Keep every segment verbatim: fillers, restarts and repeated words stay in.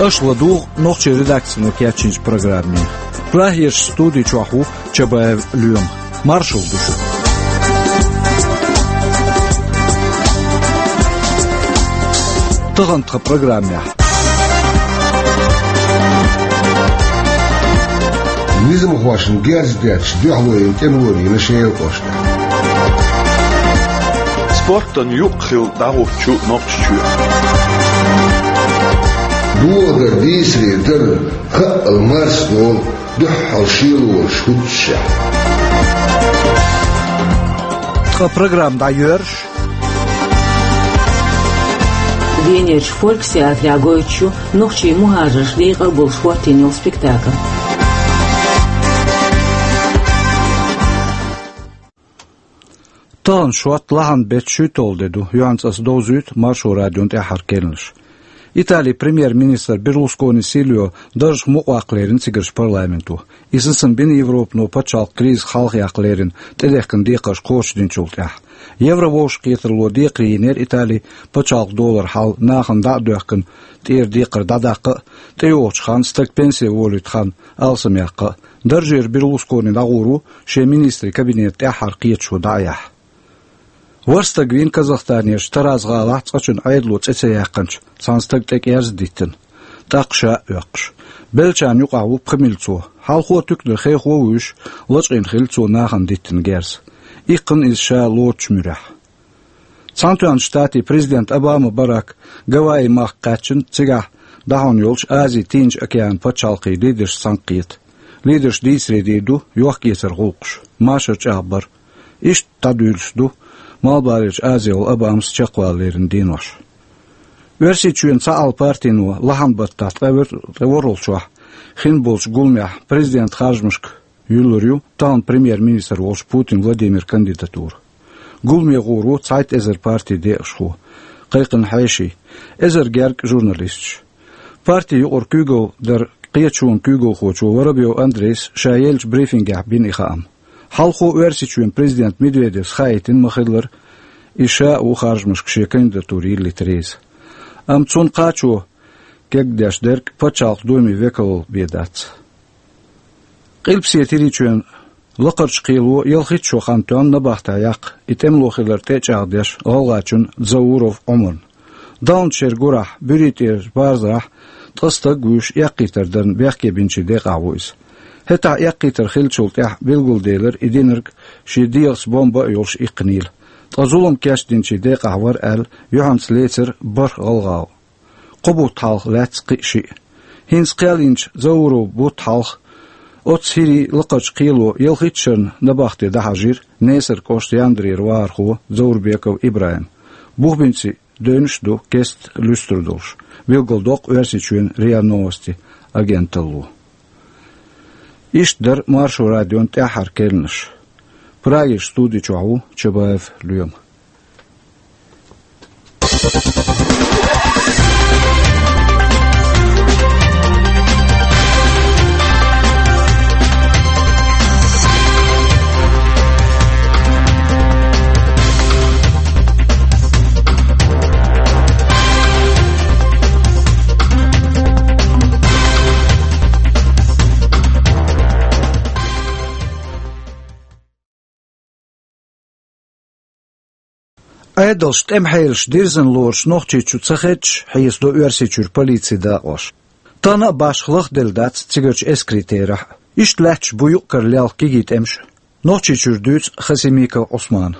Аша ладугӀу нохчийн редакцино кечйинчу программе. Прагерчу студи чохь ву Чабаев Лоьма. Маршалла ду шуьга. Тахана тхан программехь. Низамхошна герз детташ дуьхьало йина тӀемало вийна Шелан кӀоштахь. Спортан юкъ хилла дӀахӀуттучу Нохчийчоь. Доладар дийцаре дарна, хаъал марсдолу дуьххьал шелораш хӀуттушехь. Ткъа программа дӀайоьрзуш. Венерчу Фольксеатрехь гойтуш ю нохчийн мухӀажарш декъал болуш хӀоттийна йолу спектакль. Тахана шот лахьан беттан шуьйтталгӀа де ду, юьхьанца ас довзуьйту Маршо радион тӀаьххьара керланаш. Италин премьер-министр Берлускони Сильвио даржах мукъаваккха лерина цигарчу парламенто. И сацам бина Европано пачхьалкх кризисах хьалхаяккха лерина тӀедехкина декхарш кхочушдинчул тӀаьхьа. Еврововшахкхетарло декхаре йинера Италин пачхьалкх долара хьал нахана дӀа а доьхкина, тӀера декхар дӀадаккха а, тӀейогӀучу ханна стаг пенсе волуьйту хан алсамъяккха а. Даржера Берлускони дӀагӀур ву шен министрийн кабинетан тӀаьххьара кхеташо дӀа а яхьа. ВорхӀ стаг вийна Казахстанерчу Тараз-гӀалахь цкъачунна Ӏедало цӀе ца яьккхинчу цхьана стага тӀекӀерза диттина, тӀаккха ша а оьккхуш. Беллачарна юкъахь ву пхи милицо. Хьалхо туьканара хехо а вуьйш, лачкъийна хилла цо нахана диттина герз. Иккхина иза ша лоцучу муьрехь. Цхьаьнатоьхначу Штатийн президент Обама Барак Гавайи махка кхаьччина, цигахь дӀахьуна йолчу Азин Тийнначу океанан пачхьалкхийн лидершца цхьаьнакхета. Лидерша дийцаре дийр ду йохк-эцаран гӀуллакхаш, машар чӀагӀбар. Иштта дӀадуьйлуш ду Малхбалерчу Азехула Обамас чекхвала леррина денош. Оьрсийчоьнан цхьаалла партино лахьан баттахь ткъе вор-, ткъе ворхӀалгӀачохь хин болчу гуламехь президентан харжамашка юьллур ю тахана премьер-министр волчу Путин Владимиран кандидатура. Гуламе гӀур ву цхьайтта эзар партин декъашхо, кхайкхина хьеший, эзар гергга журналисташ. Партин юкъара куьйгалла даран кхеташонан куьйгалхочо Воробьев Андрейс ша еллачу брифингехь бина и хаам. Хьалхо Оьрсийчоьнан президент Медведевс хаийтина ма-хиллара, и ша а ву харжамашка шен кандидатура йиллийта реза. Амма цунна кхачо кегдеш дерг пачхьалкхан Думин векалалла бен дац. Къилбаседа ХӀирийчоьнан Лакхарчу кхело ялхитта шо хан тоьхна набахтехь яккха и тӀемало хилар тӀе а чӀагӀдеш гӀалгӀачунна Дзауров Ӏумарна. Далначу шеран гурахь, Буьрий тӀерачу барзарахь ткъа стаг а вуьйш, эккхийтар дарна бехке бинчийн декъахь ву иза. ХӀетахь эккхийтар хиллачул тӀаьхьа билгалделира и динарг шен дегӀаца бомба а йолуш иккхинийла. Ткъа зулам кечдинчийн декъахь вара аьлла, юьхьанца лецира бархӀ гӀалгӀа. Кхо бутт хьалха лаьцна кхин а шиъ. ХӀинца кхел йинчу Дзауров бутт хьалха оццу ХӀирийн лакхарчу кхело ялхитта шарна набахте дӀахьажийра Несар кӀоштан Яндарера вахархо Дзаурбеков ИбрахӀим. Бухбинци девнаш а ду кеста луьстур долуш, билгалдоккху Оьрсийчоьнан РИА Новости агенталло. Иштта дара Маршо радион тӀаьххьара керланаш. Прагерчу студи чохь ву Чабаев Лоьма. Ӏедалша тӀеман хьелаш дирзина лоруш Нохчийчу ца хедча, хьесадо Оьрсийчуьра полицин дакъош. Тахана а башха лахделла дац цигарчу эскарийн терахь а. Иштта лаьтташ бу юкъ-кара лелха кегий тӀемаш а. Нохчийчуьра дуьйцу Хасимиков Ӏусмана.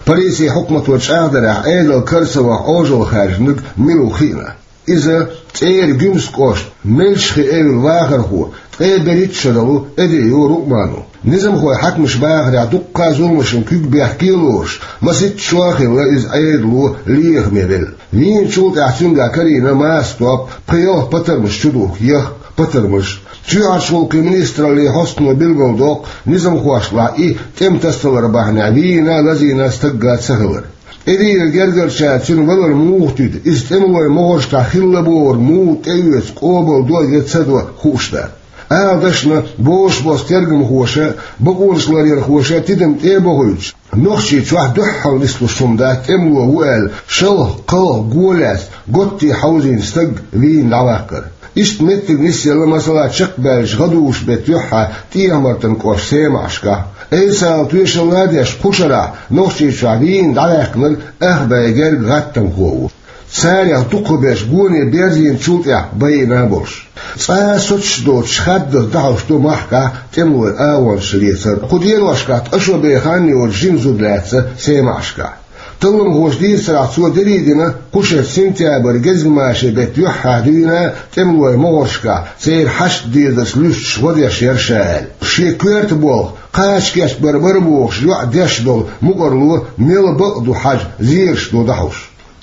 Полицин хьукмато чӀагӀдарехь, Ӏедал кара ца ваха Ӏожалла хаьржинарг мила ву хиъна. Иза цӀера Гуьмсан кӀоштан Мелчхи эвла вахархо, ткъе берхӀитта шаралла ву Эдриев Рукъмано. Низамхойн хьаькамаша бахарехь, дуккха а зуламашна куьг бехке а лоруш, масийтта шо а хилла иза Ӏедало лехаме велла. Вийначул тӀаьхьа цуьнгахь карийна маса топ, пхи-ялх патармаш чудухку, яхка патармаш. Чоьхьарчу гӀуллакхийн министраллин хьостано билгалдоккху, низамхошлахь и тӀеман тасадалар бахьанехь вийна а, лазийна а стагга ца хилар. ТӀедийрачу гергарчара цуьнан валар муха туьду, иза тӀемалойн могӀаршкахь хилла бохург муха тӀеоьцу, къобалдо я ца до хууш дац. Ала дашна, бозуш босу тергамхоша а, бакъонаш ларъярхоша а тидам тӀе а бохуьйтуш, Нохчийчохь дуьххьал нислуш хӀума дац тӀемало ву аьлла, шалха-кхалха го лаьцна, готте хьовзийна стаг вийна дӀаваккхар. Иштта меттиг нисъелла, масала, чекхбаьлча гӀадужу беттан юьххьехь ТӀехьа-Мартан кӀоштан Семашкахь. Айса-Ӏела тоьшалла деш, кху шарахь Нохчийчохь вийна дӀаваьккхинарг ах бӀе герга гӀаттамхо ву. Царех дукхахберш гоне берзийначул тӀаьхьа байина болуш. Цкъа а соцуш доцуш хаддаза дӀахьош ду махкахь тӀемалойн агӀончаш лецар. Кху деношкахь ткъа шо бен хан йоцу жима зуда лаьцна Семашкахь. Талламхоша дийцарехь, цо дерриг а дина, кху шарахь сентябрь гезгмашин беттан юьххьехь дуьйна тӀемалойн могӀаршкахь, церан хьашт дезарца луьстуш гӀо деш яра ша аьлла. Шен коьрта болх, кхача кечбар бара бохуш йоӀ деш долу мукӀарло мел бакъ ду хьажа, зераш ду дӀахьош.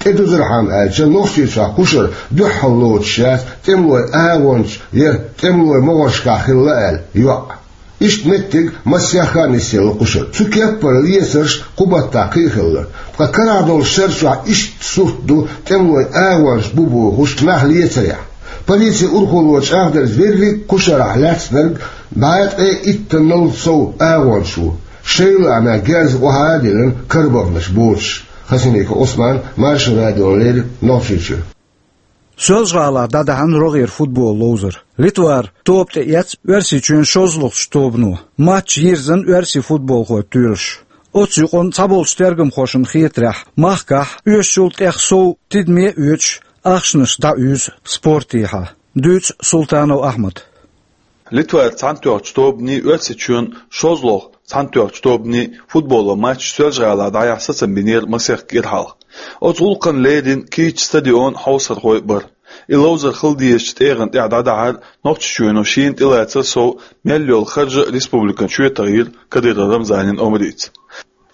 ТӀедузурхьама аьлча, Нохчийчохь кху шарахь дуьххьал лоцуш яц тӀемалойн агӀончаш я тӀемалойн могӀаршкахь хилла аьлла йоӀ. Иштта меттиг массех а нисъелла кху шарахь. Цу кеппара лецарш кху баттахь кхин а хилла. Ткъа карахь долчу шарахь иштта сурт ду тӀемалойн агӀончаш бу бохуш нах лецарехь. Полицин урхалло чӀагӀдарца, верриг а кху шарахь лаьцнарг бӀе ткъе иттаннал сов агӀончаш ву. Шайла а мега герз охьа а диллина карабаханаш боцуш. Хасимиков Ӏусман, Маршо радиона леррина, Нохчийчоь. Соьлжа-ГӀалахь дӀадаьхьна рогӀера футбол ловзар. Литвара тоба тӀеэцна Оьрсийчоьнан шолгӀачу тобано. Матч йирзина оьрсийн футболхойн тоьлуш. Оцу юкъанна цхьаболчу тергамхошна хетарехь, махкахь оьшучул тӀех сов тидаме а оьцуш, ахчанаш дӀауьйзу спортехьа. Дуьйцу Султанов Ахьмада. Литвара цхьаьнатоьхначу тобанний, Оьрсийчоьнан шолгӀачу цхьаьнатоьхначу тобанний футболан матч Соьлжа-ГӀалахь дӀаяхьа сацам бинера масех кӀира хьалха. Оцу гӀуллакхна леррина кийча стадион, хьовсархой а бара. И ловзар хила дезачу тӀегӀан тӀехь дӀадахьар Нохчийчоьно шена тӀелацар сов мел йолу харж а республикана чоьтахьийра Кадыров Рамзанан омрица.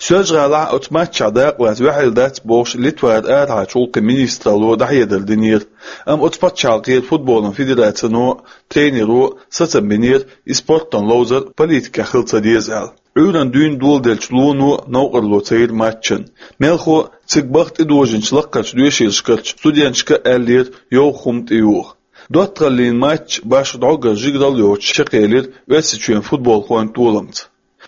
Соьлжа-ГӀалахь оцу матчехь дакъалаца ваьхьийла дац бохуш, Литвара арахьарчу гӀуллакхийн министралло дӀахьедар динера, амма оцу пачхьалкхера футболан федерацино а, тренеро а сацам бинера, и спортан ловзар политикехь хила ца деза аьлла. Ӏуьйранна дуьйна доладеллачу лоно а новкъарло ца йира матчана. Мелхо а, цига баха тӀедожийначу лаккхарчу доьшийлашкарчу студенташка а аьллера йовха хӀума тӀеюха. ДоттагӀаллин матч башха дӀогара жигаралла йоцуш чекхъелира Оьрсийчоьнан футболхойн толамца.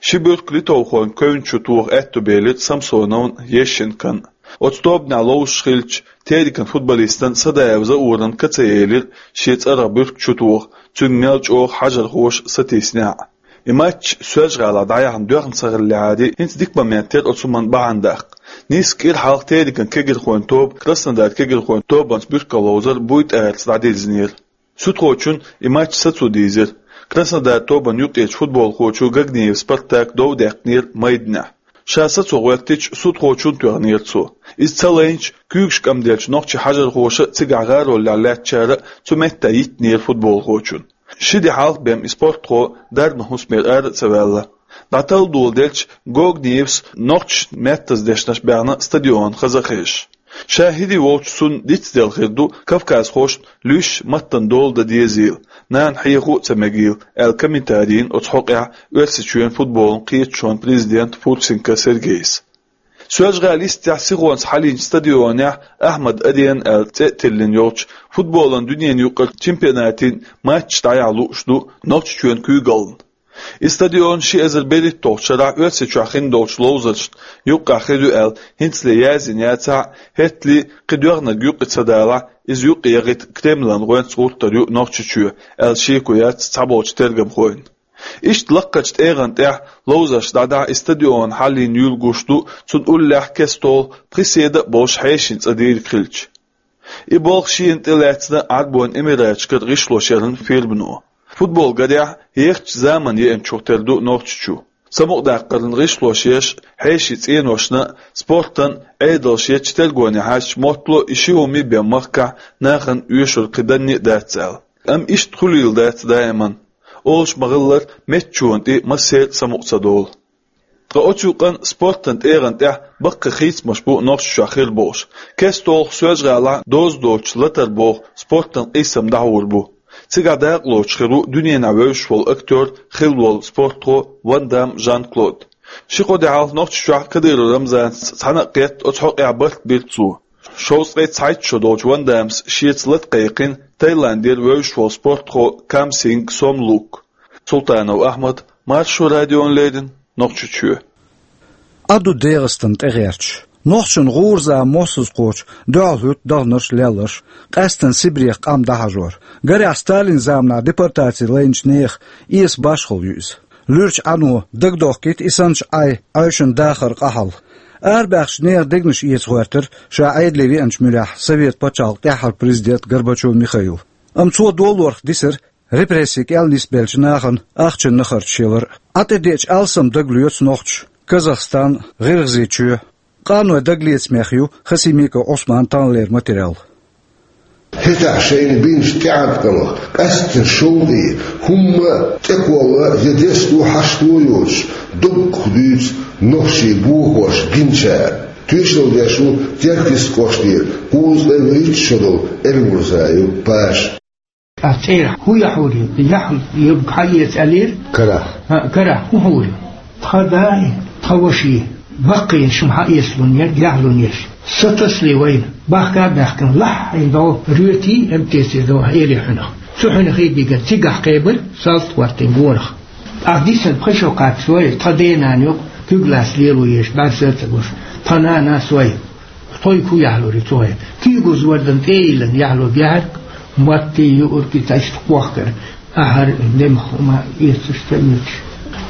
Ши буьрка литовхойн кевнна чу тоха аьтту белира Самсоновна, Ещенкона. Оцу тобанехь ловзуш хиллачу Терекан футболистана Садаев Заурана ка ца елира шен цӀарах буьрка чу тоха, цуьнга мел чӀогӀа хьажархоша сатийсинехь а. И матч Соьлжа-ГӀалахь дӀаяхьна доьхна ца хиллехьара, хӀинца дика момент яра оцу хӀуманна бахьана даккха. Нийсса кӀира хьалха Терекан кегирхойн тоба Краснодар кегирхойн тобанца буьркалловзар буй тӀаьрца дӀадирзинера. Суьдхочунна и матч сацо дийзира. Краснодар тобанна юккъерчу футболхочо Гагниев Спартака дов даьккхинера майданехь. Ша сацо гӀоьртича, суьдхочунна тоьхнера цо. Иза ца лайначу, куьйгаш кӀамделлачу нохчийн хьажархоша а, цигахь гӀаролехь лаьттачара а цу метта йиттинера футболхочунна. Ши де хьалха бен и спортхо дарбан хӀусамера ара а ца ваьлла. ДӀаталла доладелча, Гогниевс нохчашна меттаза дешнаш баьхна стадион хаза а хезаш. Ша хӀирий волчу цунна дицделла хир ду кавказхошна луьйш маттана дола дан дезийла, нана хьехо а ца мегийла, аьлла, комментарий йина оцу хьокъехь Оьрсийчоьнан футболан кхеташонан президента Фурсенко Сергейс. Соьлжа-ГӀала йистехь сихонца хьалийначу стадионехь Ахьмад-Арена аьлла цӀе а тиллина йолчу футболан дуьненан юкъарчу чемпионатийн матчаш дӀаяхьа лууш ду Нохчийчоьнан куьйгаллина. И стадион ши эзар берхӀитталгӀачу шарахь Оьрсийчохь хин долчу ловзаршна юккъехь хир ю аьлла, хӀинцале яздина яцахь а, хӀеттале кхин доьгӀнарг юкъа ца далахь, иза юкъа яхийта Кремлан гӀоьнца гӀуртар ю Нохчийчоь, аьлла шеко яц цхьаболчу тергамхойн. Иштта лаккхарчу тӀегӀан тӀехь ловзарш дӀадахьа и стадион хьалийна юьйлла гуш ду, цунна уллехь кестолгӀа пхи седа а болуш хьешийн цӀа дийриг хилча. И болх шена тӀелаьцна Ӏарбойн Эмираташкара гӀишлош яран фирмано. Футбол, гарехь, ехачу заманан еанчух тера ду Нохчийчу. Самукъадаккхаран гӀишлош еш, хьешийн цӀеношна а, спортан а Ӏедалш ечу тергоне хьаьжча, моттало а и ши хӀума бен махкахь нахана оьшура кхин данне а дац аьлла. Амма иштта хуьлийла дац даиман. Олуш ма-хиллара, меттачунна тӀе массеран а самукъа ца долу. Ткъа оцу юкъанна спортан тӀегӀан тӀехь баккхий хийцамаш бу Нохчийчохь хир болуш. КестолгӀа Соьлжа-ГӀалахь доза доцуш «Латар» боху спортан къийсам дӀахьур бу. Цигахь дакъалоцуш хир ву дуьненахь вевзаш волу актер, хилла волу спортхо Ван Дам Жан-Клод. Ши-кхо де хьалха Нохчийчохь Кадыров Рамзанца цхьаьна а кхетта, оцу хьокъехь барт бира цо. Шовзткъе цхьайтта шо долчу Ван Дамс шеца лата кхайкхина Таиландера вевзаш волу спортхо Кам Синг Сом Лук. Султанов Ахьмад, Маршо радиона леррина, Нохчийчоь. Ӏа ду ДегӀастан тӀегӀерташ. Нохчийн гӀурза моссаза кхочу дуьхьал хӀуьтту даханарш, лелларш, къаьсттина Сибрех къам дӀахьажор. Гарехь, Сталин заманахь депортаци лайначу нехан эса башхалла ю иза. Луьрачу Ӏано дагадохкийта и санначу Ӏай Ӏаьвшина дахаран къа хьал. Арабаьхначу нехан дегнаш эца гӀоьртира ша Ӏедале веанчу муьрехь Совет пачхьалкхан тӀаьххьара президент Горбачев Михаил. Амма цо долорах дисира репрессийн кӀел нисбеллачу нахана ахчанан харцаш ялар а. ТӀетеъча алсам дагалоьцу нохчаша Казахстан, ГӀиргӀазийчоь. Къанойн дагалецамех ю Хасимиков Ӏусманан таханлера материал. ХӀетахь шайна бинчу тӀеӀаткъамах, къаьсттина шовкъе, хӀумма тӀекхолла я десто хьашто йоцуш, доггах дуьйцу нохчийн бохош гиначара. Тоьшалла деш ву Теркйист кӀоштара кхузткъе вуьрхӀитта шо долу Эрмурзаев Паша. Ткъа цӀера хӀун яхьур ю? Яхь юрг хьаэца аьллера? Карахь. ХӀаъ, карахь хӀун хьур ю? Тхан дай, тхан ваши, баккхий шуна хьаэцалун яр, яхьлун яш. Сатасли вайна, бахка а баьхкина, лахьйна догӀу, роьтий, МТС догӀу, эли хьуьнах. Цу хьуьнах хи дигар цигахь кхебар, салт хӀоттийна гонах. Ахь дисина пхи шо кхаччалой, тхан денан юкъа куьг лаца лело еш, бӀаьрса а ца гуш, тхан нана сой. Тхойга хӀун яхьлур ю цо хье? Куьйгуза вардан тӀе а йиллина яхьлург яхьарг, маттий, юургий цхьаьшта кхохкар, ахьар, демах хӀума эцаш ца оьцуш.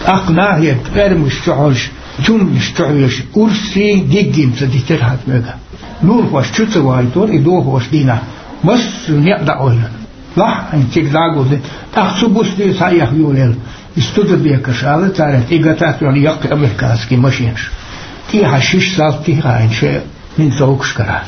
ТӀаккха нахера пӀермаш чу хьожуш, чумнаш чу хьоьжуш, урсий, диггий ца дитира хьан мега. Нурхош чу ца вайтора и дохош дийнахь, массо а некъ дӀаойла. Лахьйна цига дӀагулдина, тӀаккха цу бусте схьаэха йолаелла. И Студебекерш ала цара, и гатат йолу яккхий американский машинаш. ТӀехьа шиш салти хаийна шайн винтовкаш карахь.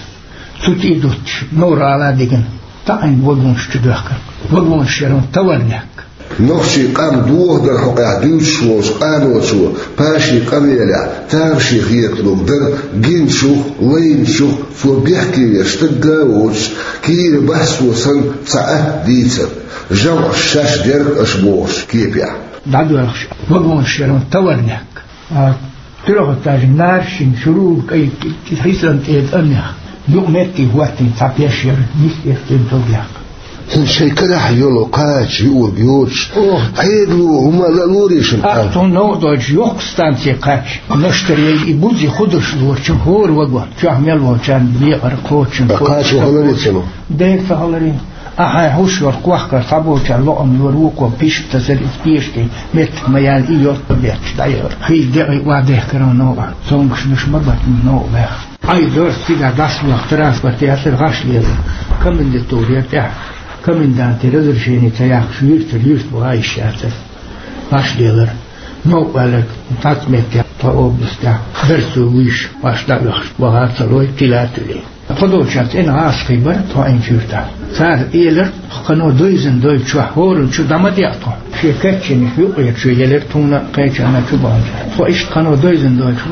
Цу тӀе дуттуш, нора ала дигна, таӀийна вагонаш чу доьхкина. Вагонаш ярун таварнехк. Нохчийн къам дохадар хьокъехь дуьйцуш волчу къаночо Пашин къамелехь тамашийна хеталург дара гиначух, лайначух цо бехке веш стагга а воцуш, кийра баьссо санна цхьа атта дийцар, жамӀаш шаьш дерг аша бохуш кепехь. ДӀадоьлхуш вагонаш ярун таварнехк. А, трёхэтажный, наршин, шурур кӀай, хисан тӀе тӀаннех. Юкъ метте хӀоттийна цхьа пеш яра, нисъеш тӀе догӀехь. ХӀинца шайн карахь йолу кхача юург йоцуш, Ӏедало хӀума ла лорийшина. Ах, тхуна новкъа дойчу йоккха станция кхаьчча, наштар яй и бузи худаш лорчу хӀора вагон. Чохь мел волчарна бекъар кхочун. Кхачо хиларе ца ло? Дера ца хиларе. Ахьа хьуш йолу кхохкар схьаболчарна лоам лора вукхо пишта тасар иза пешкий, меттиг ма яьлла и йорта бетташ дӀайора. Хи декъий охьадехкара новкъа, цомгушнаш ма баттина новкъа баьхна. Ай дорс цигахь дӀасалахь транспорт яцара гӀаш лелар. Комендатура яра тӀехь. Комендантан разрешение ца яьккхаш юьртара юьрта ваха йиш яцара. ГӀаш лелар. Новкъа ваьлларг цхьацца меттехь тхо областехь дарсо вуьйш, ваш дӀаоьхуш ваха ца лой, тила а туьлий. Тхо долчохь цӀена гӀазкхий бара тхо Ӏийначу юьртахь. Цара элира, кхано дойзина дойчохь хӀоранна чу дӀа ма деа тхо. Шен кечйинарш юкъера чу елира тхуна кхечанна чу баханчохь. Тхо иштта кхано дойзина дойчу,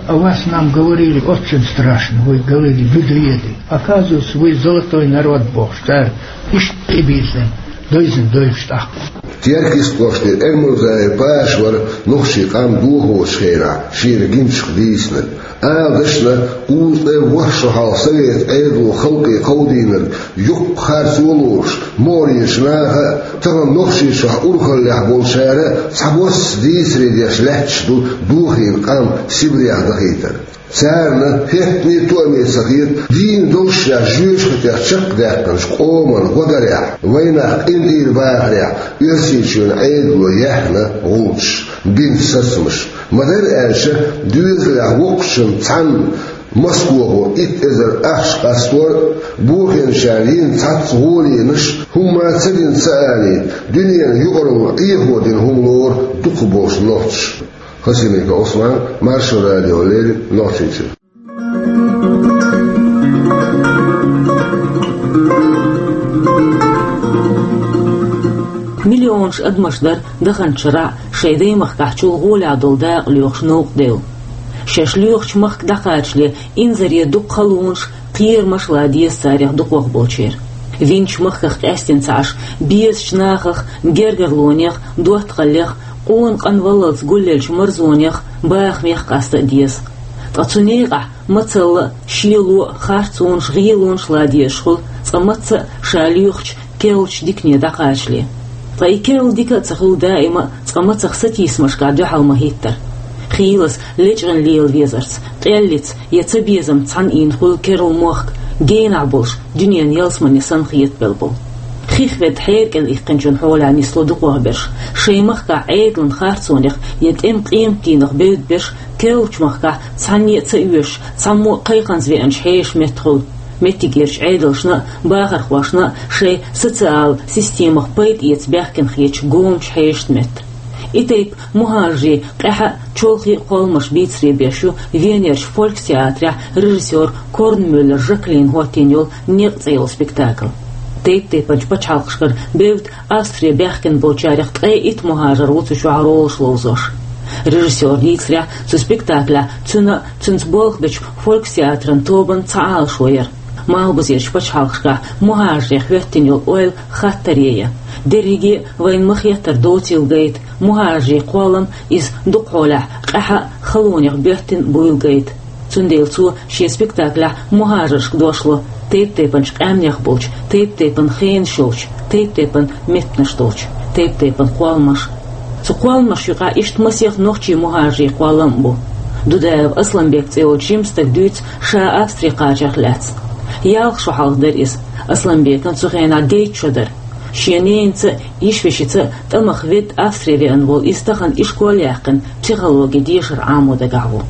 а вас нам говорили очень страшно, вы говорили, бегледы. Оказывается, вы золотой народ бохуш, цара иштта тӀебийзина, дойзина дойлуш тӀаккха. Теркйист кӀоштара Эрмурзаев Паша вара нохчийн къам дохочу хенахь шена гиначух дийцинарг. Ала дашна, кхузткъе ворхӀ шо хьалха совет Ӏедало халкъе кховдийнарг, юккъе харцо лоруш, могӀарерчу наха а, тахана Нохчийчохь урхаллехь болчара а цхьабосса дийцаре деш лаьтташ ду дохийна къам Сибрех дахийтар. Царна хӀеттане а тоаме ца хета, дийна долуш шаьш жоьжахатех чекхдаьккхинчу къоман гӀо дарехь, вайнах къинтӀера бахарехь, Оьрсийчоьнан Ӏедало яьхна гӀулчаш, бина сацамаш. Ма-дарра аьлча, доьзалехь воккхачунна цхьанна Москвахо итт эзар ахча къастор а, бохийначарна йина цхьацца гӀоланаш, хӀумма ца дина ца алийта, дуьненан юкъаралла Ӏехо дина хӀума лору дукхахболчу нохчаша. Хасимиков Ӏусман, Маршо радиона леррина, Нохчийчуьра. Миллионаш адамаш дара даханчу шарахь шайн даймахкахь чул гӀолехь долу дакъа лоьхуш новкъа девлла. Шаьш лоьхучу махка дӀакхачале, инзаре дукха халонаш, кхерамаш ла деза царех дукхахболчеран. Винчу махках къаьстина ца Ӏаш, безачу нахах, гергарлонех, доттагӀаллех, къона къанваллалц гулъеллачу марзонех, бахамех къаста а деза. Ткъа цу некъахь мацалла а, шело а, харцонаш, гӀелонаш ла дезаш хуьлу цкъа мацца а ша лоьхучу керлачу дикане дӀакхачале. Ткъа и керла дика а ца хуьлу даима а цкъа мацах сатийсамашкахь дуьхьал ма хӀиттара. Хийлас лечкъина лела везарца, къеллица я цабезамца цхьана ийна хуьлу керла мохк, генахь болуш, дуьненан ялсамане санна хетабелла болу. Хих ведда хьера кӀел иккхинчун хьолехь нисло дукхох берш, шайн махкахь Ӏедалан харцонех я тӀеман къематдийнах бевдда берш, керлачу махкахь цхьанне а ца оьшуш, цхьаммо а кхайкханза веанчу хьешан меттахула. Меттигерчу Ӏедалшна а, бахархошна а шайн социал системах пайда эца баьхкина хеташ гомачу хьешан метта. И тайпа мухӀажарийн къаьхьа а, чолхе а кхолламаш бийцаре беш ю Венерчу фолькстеатрехь режиссёр Корнмюллер Жаклина хӀоттийна йолу «Некъ» цӀе йолу спектакль. Тайп-тайпанчу пачхьалкхашкара бевдда Австре баьхкина болчарех ткъе итт мухӀажар ву цу чохь ролаш ловзош. Режиссёран дийцарехь, цу спектаклехь цуьнан а, цуьнца болх бечу фолькстеатран тобанан цхьа Ӏалашо яра. Малхбузерчу пачхьалкхашкахь мухӀажарех хӀоьттина йолу ойла хаттаре я. Дерриге а вайна ма-хеттара доцийла гайта, мухӀажарийн кхоллам иза дукха хьолехь къаьхьа а, халонех боьттина буйла гайта. Цундела цо шен спектаклехь мухӀажаршка дош ло, тайп-тайпанчу къаьмнех болчу, тайп-тайпана хенаш йолчу, тайп-тайпана меттанаш долчу, тайп-тайпана кхолламаш. Цу кхолламашна юкъахь иштта масех нохчийн мухӀажарийн кхоллам а бу. Дудаев Асланбек цӀе йолчу жима стага дуьйцу ша Австре кхачарх лаьцна. Ялх шо хьалха дара иза. Асланбекан цу хенахь дейтта шо дара. Шен ненаца а, йиша-вешица а тӀамах ведда Австре веана волу иза тахана ишкол яьккхина, психологин дешар Ӏамо дагахь ву.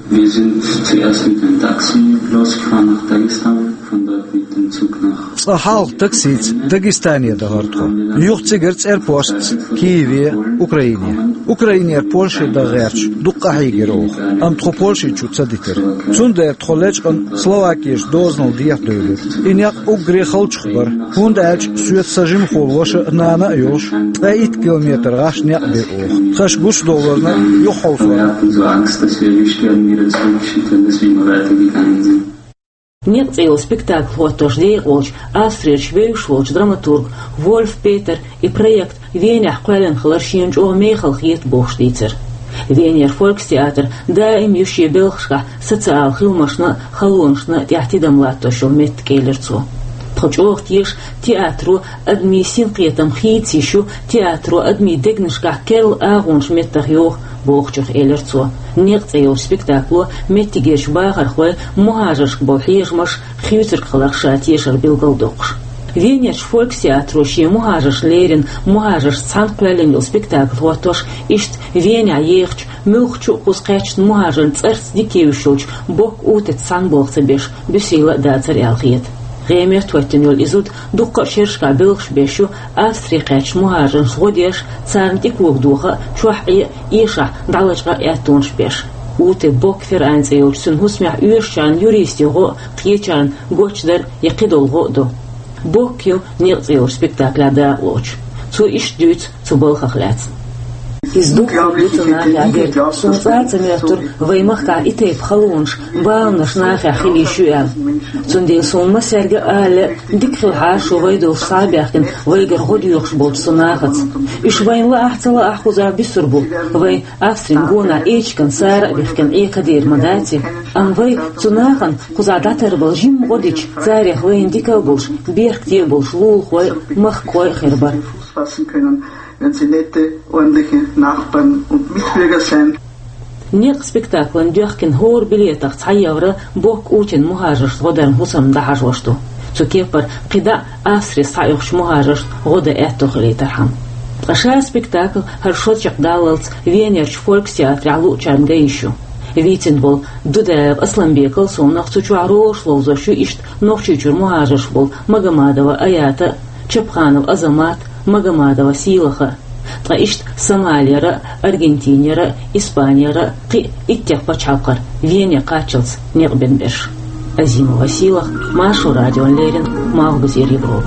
Wir sind zuerst mit dem Taxi losgefahren nach Dagestan, von dort mit dem Zug nach Цкъа хьалха таксица Дагестане дахара тхо. Юха цигара цӀерпостца Киеве, Украине. Украинера Польше дан гӀерташ дукха къахьийгира оха, амма тхо Польше чу ца дитира. Цундела тхо лечкъана Словакерчу дозанал дехьа девлира. И некъ уггаре халчух бара, хӀунда аьлча соьца сан жимахула ваша а, нана а йолуш, ткъе итт километр гӀаш некъ бира оха. Тхаьш гучудовларна юхахьовсорна. Verurteilten, so Angst, dass wir erwischt werden, wieder zurückgeschickt werden, dass wir immer weitergegangen sind. «Некъ» цӀе йолу спектакль хӀоттош декъалчу Австрерчу вевзаш волчу драматург Вольф Петера и проект Венехь кхоьллина хилар шена чӀогӀа мехала хета бохуш дийцира. Венера фолькстеатр даим ю шен белхашкахь социал хиламашна а, халонашна а тӀехь тидам латтош йолу меттиг, элира цо. Тхо чӀогӀа теша театро адамийн синкхетам хийца йиш ю, театро адамийн дегнашкахь керла агӀонаш меттах йоху бохучух, элира цо. «Некъ» цӀе йолчу спектакло меттигерчу бахархойн мухӀажаршка болу хьежамаш, хуьйцург хиларх ша тешар билгалдоккхуш. Венерчу фолькстеатро шен мухӀажаршна леррина мухӀажаршца цхьаьна кхоьллина йолу спектакль хӀоттош, иштта Венехь ехачу, муьлххачу а кхуза кхаьчначу мухӀажарна цӀарца дика евзаш йолчу Бок Утица цхьаьна болх ца беш, буьсийла а дацара аьлла хета. ГӀемерта хӀоьттина йолу и зуда дуккха а шерашкахь белхаш беш ю Австре кхаьчначу мухӀажаршна гӀо деш, царна тӀе кога доха а, чохь Ӏе а, эшахь дӀалачкъа а аьттонаш беш. Ути Бок Ферайн цӀе йолчу цуьнан хӀусамехь оьшучарна юристийн гӀо а, кхечарна гочдар я кхидолу гӀо а до. Бок ю «Некъ» цӀе йолчу спектаклехь дакъалоцуш. Цо иштта дуьйцу цу балхах лаьцна. Иза дуккха а ду цу нахехь дерг. Суна цкъа а ца моьттура вайн махкахь и тайпа халонаш, баланаш нахехь хила йиш ю аьлла. Цундела суна массаьрга а ала лаьа, дика хилахьара шу вай долуш схьа а баьхкина, вайгара гӀо доьхуш болчу цу нахаца. Уьш вайна лаахь а, ца лаахь а, кхузахь буьсур бу, вай Австрин гонахь Эчиган Сара а бихкина Ӏе кадийр ма дац и. Амма вай цу нахана кхузахь дӀатарбала жимма гӀо дича, царех вайна дика а болуш, беркате а болуш лулахой а, махкахой а хир бара. Fassen können, wenn sie nette, ordentliche Nachbarn und Mitbürger sind. «Некъ» спектаклан доьхкина хӀора билетах цхьа евро Бок Утин мухӀажаршна гӀо даран хӀусамна дӀахьажош ду. Цу кепара кхидӀа а Австре схьаоьхучу мухӀажаршна гӀо дан аьтто хилийтархьама. Ткъа ша спектакль хӀара шо чекхдаллалц Венерчу фолькстеатрехь луучарна ган йиш ю. Вийцина волу Дудаев Асланбекал совнах цу чохь ролаш ловзош ю иштта Нохчийчуьра мухӀажарш болу Магомадова Аята а, Чапханов Азамат а, Магомадова Сийлаха а. Ткъа иштта Сомалера а, Аргентинера а, Испанера а, кхин а иттех пачхьалкхара Вене кхаччалц некъ бина берш. Азимова Сийлаха, Маршо радиона леррина, Малхбузера Европа.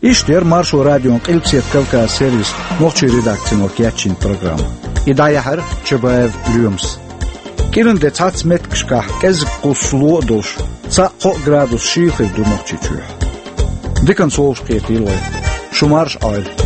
Иштта яра Маршо радион Къилбаседа Кавказ сервисан нохчийн редакцино кечйина программа. И дӀаяьхьира Чабаев Лоьмас. КӀиран де цхьацца меттигашкахь кӀезиг-кхуссуш ло а долуш, цхьаъ-кхоъ градус шийла хир ду Нохчийчохь. Диканца вовшахкхетийла вай. Шу марша Ӏойла.